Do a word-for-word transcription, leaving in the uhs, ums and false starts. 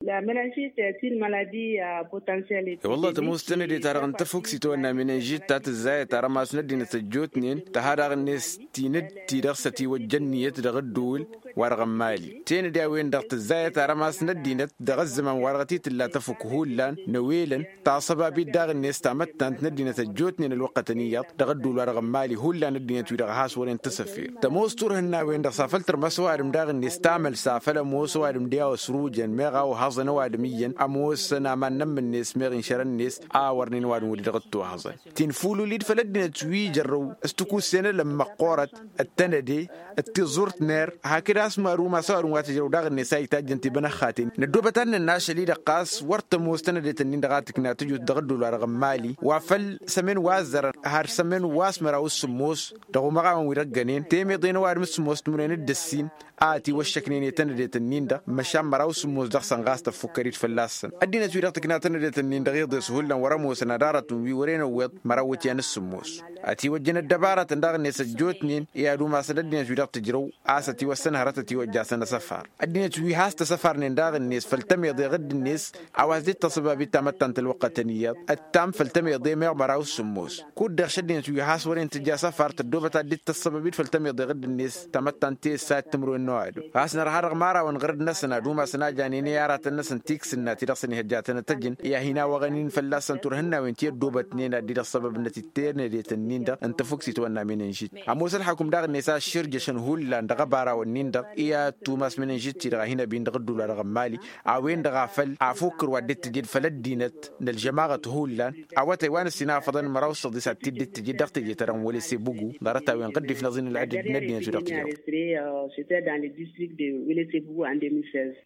La meningite est une maladie à potentiel. E-wălla tămoos tănăde-ta-dăɣ n-tăfukt s-itwănna meningite ta tǝzzayăt arămas n-ăddinăt ăjjootnen tăha daɣ-net tinǝd ti-dăɣ s-ătiwăjja ǝnniyăt dăɣ-ădduul wa-dăɣ n-mali tenăde a-wen-dăɣ tǝzzayăt arămas n-ăddinăt dăɣ-ăzzăman wa-dăɣ t-tǝlla tăfuk hullan n-ewelăn taṣăbabit daɣ-net tamăttant n-ăddinăt ăjjootnen ălwăqqătăn iyyăḍ dăɣ-ădduul wa-dăɣ n-mali hullan ăddinăt-wi-dăɣ a has-wăren tăsăfir. Tămoos turhǝnna-wen-dăɣ s-afăl tărmăs ăwadǝm daɣ-net tamăl s-afăl ămoos ăwadǝm d-i-a-wa s-rujăn meɣ a ohăẓăn ăwadǝm iyyăn ămoosăn aman n-ămmǝnnes meɣ inšărăn-net a wărnen ăwadǝm wăr-dd-dăɣ-dd-tohăẓăn. Tinfululid făll-ăddinăt wi jărrăw s-tikussen ălămmăqqorăt d-tănăde d-tiẓurt ner hakd a-s maru ma s-ăwadǝm wa tǝjrăw daɣ-net a itajjăn tibănăxxaten. Năddoobăt ad-nănn ašăl-i-dăɣ ɣas wăr tămoos tănădet-ǝnnin-dăɣ a tǝkna tǝjut dăɣ-ădduul wa dăɣ-n mali wa făll-sămen wa ăzzărăn har sămen wa s-măraw s-sǝmmos dăɣ-umăɣawăn wi dăɣ-ggănen temeḍe n-ăwadǝm s-sǝmmos timǝrwen d-ǝssin a ătiwăššăknen i-tănădet-ǝnnin-dăɣ măšan măraw s-sǝmmos dăɣ-săn ɣas tăffukkăr-dd fălla-săn. Ăddinăt-wi-dăɣ tǝkna tănădet-ǝnnin-dăɣ iḍes hullan wăr-ămoosăn ad-arătăn wi wăren ăwweḍ măraw iwǝtyan s-sǝmmos ătiwăjjăn ăddăbarătăn daɣ-net ăjjootnen i-ad-umasăn ăddinăt-wi-dăɣ tǝjrăw a-s ătiwăssăn hărăt ătiwăjjasăn asăfar. Ăddinăt wi has-tăsăfarnen daɣ-net făll-tămeḍe ɣǝdd-net a-wa s-dd-tăṣăbabit tamăttant ălwăqqătăn iyyăḍ ǝttam făll-tămeḍe meɣ măraw s-sǝmmos. Kud-dăɣ šăddinăt wi has-wăren tǝjja asăfar tăddoobăt ad-dd-tăṣṣăbăbit făll-tămeḍe ɣǝdd-net tamăttant tessat timǝrwen n-ăwadǝm ɣas nărha dăɣ-imărawăn ɣur-dd-năsăn ad-umasăn a janen i-aratăn-năsăn tiksǝnna ti dăɣ-săn ihăjjatăn ad-tăjǝn i-ad-hin-awăɣăn-in fălla-săn turhǝnnawen ti ăddoobătnen ad-dd-ăṣṣăbăbnăt d-ternădetăn-nin-dăɣ n-tăfukt itwănna menănžit. Ămoos ălxakum daɣ-net a ǝššǝrjăšăn hullan dăɣ-ăbarawăn-nin-dăɣ i-ad-tumas menănžit-ti-dăɣ a hin-ăbin dăɣ-ădduul wa dăɣ-n mali a-wen-dăɣ a făl afukkăr wa dd-tǝjǝd făll-ăddinăt n-ălžămaɣăt hullan awătay wa n-ǝssin a făḍăn măraw s-săḍis ad-t-dd-tǝjǝd dăɣ-teje-ta-dăɣ n-wălese bugu ḍarăt-a-wen ɣǝddif n-aẓin ălɣǝddǝd n-ăddinăt wi-dăɣ tǝjrăw. C'était dans le district de Welesebugu en deux mille seize.